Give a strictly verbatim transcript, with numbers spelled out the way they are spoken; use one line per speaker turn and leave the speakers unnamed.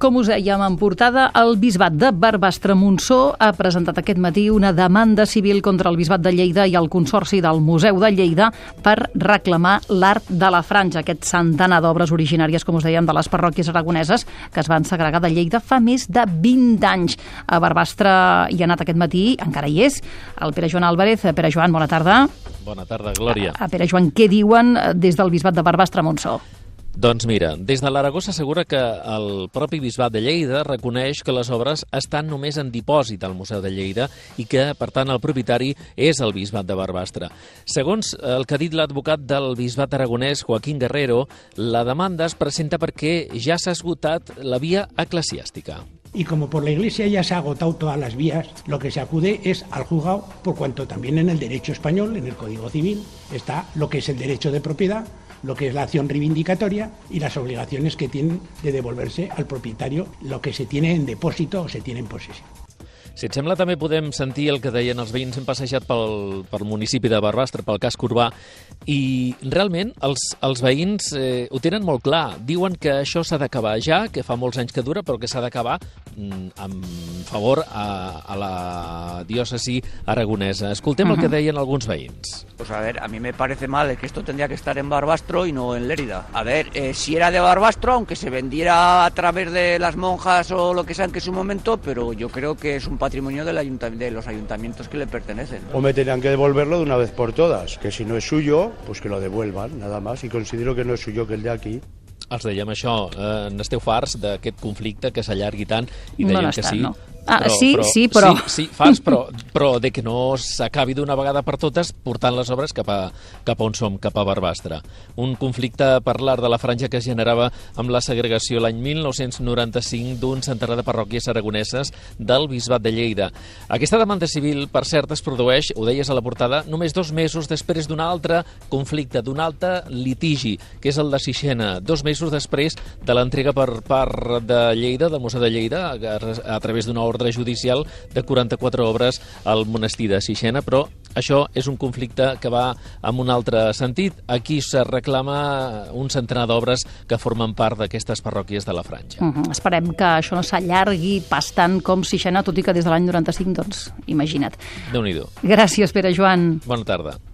Com us dèiem en portada, el Bisbat de Barbastre-Montsó ha presentat aquest matí una demanda civil contra el Bisbat de Lleida i el Consorci del Museu de Lleida per reclamar l'art de la franja, aquest centenar d'obres originàries, com us dèiem, de les parròquies aragoneses que es van segregar de Lleida fa més de vint anys. A Barbastre hi ha anat aquest matí, encara hi és, el Pere Joan Álvarez. Pere Joan, bona tarda.
Bona tarda, Glòria.
A, a Pere Joan, què diuen des del Bisbat de Barbastre-Montsó?
Doncs mira, des de l'Aragó s'assegura que el propi Bisbat de Lleida reconeix que les obres estan només en dipòsit al Museu de Lleida i que, per tant, el propietari és el Bisbat de Barbastre. Segons el que ha dit l'advocat del Bisbat aragonès, Joaquín Guerrero, la demanda es presenta perquè ja s'ha esgotat la via eclesiàstica.
Y como por la Iglesia ya se ha agotado todas las vías, lo que se acude es al juzgado, por cuanto también en el derecho español, en el Código Civil, está lo que es el derecho de propiedad, lo que es la acción reivindicatoria y las obligaciones que tienen de devolverse al propietario lo que se tiene en depósito o se tiene en posesión.
Si et sembla, també podem sentir el que deien els veïns. Hem passejat pel, pel municipi de Barbastre, pel casc urbà, i realment els, els veïns eh, ho tenen molt clar. Diuen que això s'ha d'acabar ja, que fa molts anys que dura, però que s'ha d'acabar mm, en favor a, a la diòcesi aragonesa. Escoltem uh-huh. el que deien alguns veïns.
Pues a ver, a mí me parece mal que esto tendría que estar en Barbastro y no en Lérida. A ver, eh, si era de Barbastro, aunque se vendiera a través de las monjas o lo que sea en que su momento, pero yo creo que es un patrimonio del ayuntamiento, de los ayuntamientos que le pertenecen.
O me tendrán que devolverlo de una vez por todas, que si no es suyo, pues que lo devuelvan, nada más, y considero que no es suyo, que el de aquí.
Els dèiem això, eh, n'esteu farts d'aquest conflicte que s'allargui tant i deien
no
que sí.
No. Ah,
però,
sí,
però,
sí, però...
Sí, sí, farts, però, però de que no s'acabi d'una vegada per totes portant les obres cap a, cap a on som, cap a Barbastre. Un conflicte per l'art de la franja que es generava amb la segregació l'any mil nou-cents noranta-cinc d'un centenar de parròquies aragoneses del Bisbat de Lleida. Aquesta demanda civil, per cert, es produeix, ho deies a la portada, només dos mesos després d'un altre conflicte, d'un altre litigi, que és el de Sixena, dos mesos després de l'entrega per part de Lleida, del Museu de Lleida, a, a través d'una ordre judicial de quaranta-quatre obres al monestir de Sixena, però això és un conflicte que va en un altre sentit. Aquí se reclama un centenar d'obres que formen part d'aquestes parròquies de la franja.
Uh -huh. Esperem que això no s'allargui pas tant com Sixena, tot i que des de l'any noranta-cinc, doncs, imagina't.
Déu-n'hi-do.
Gràcies, Pere Joan.
Bona tarda.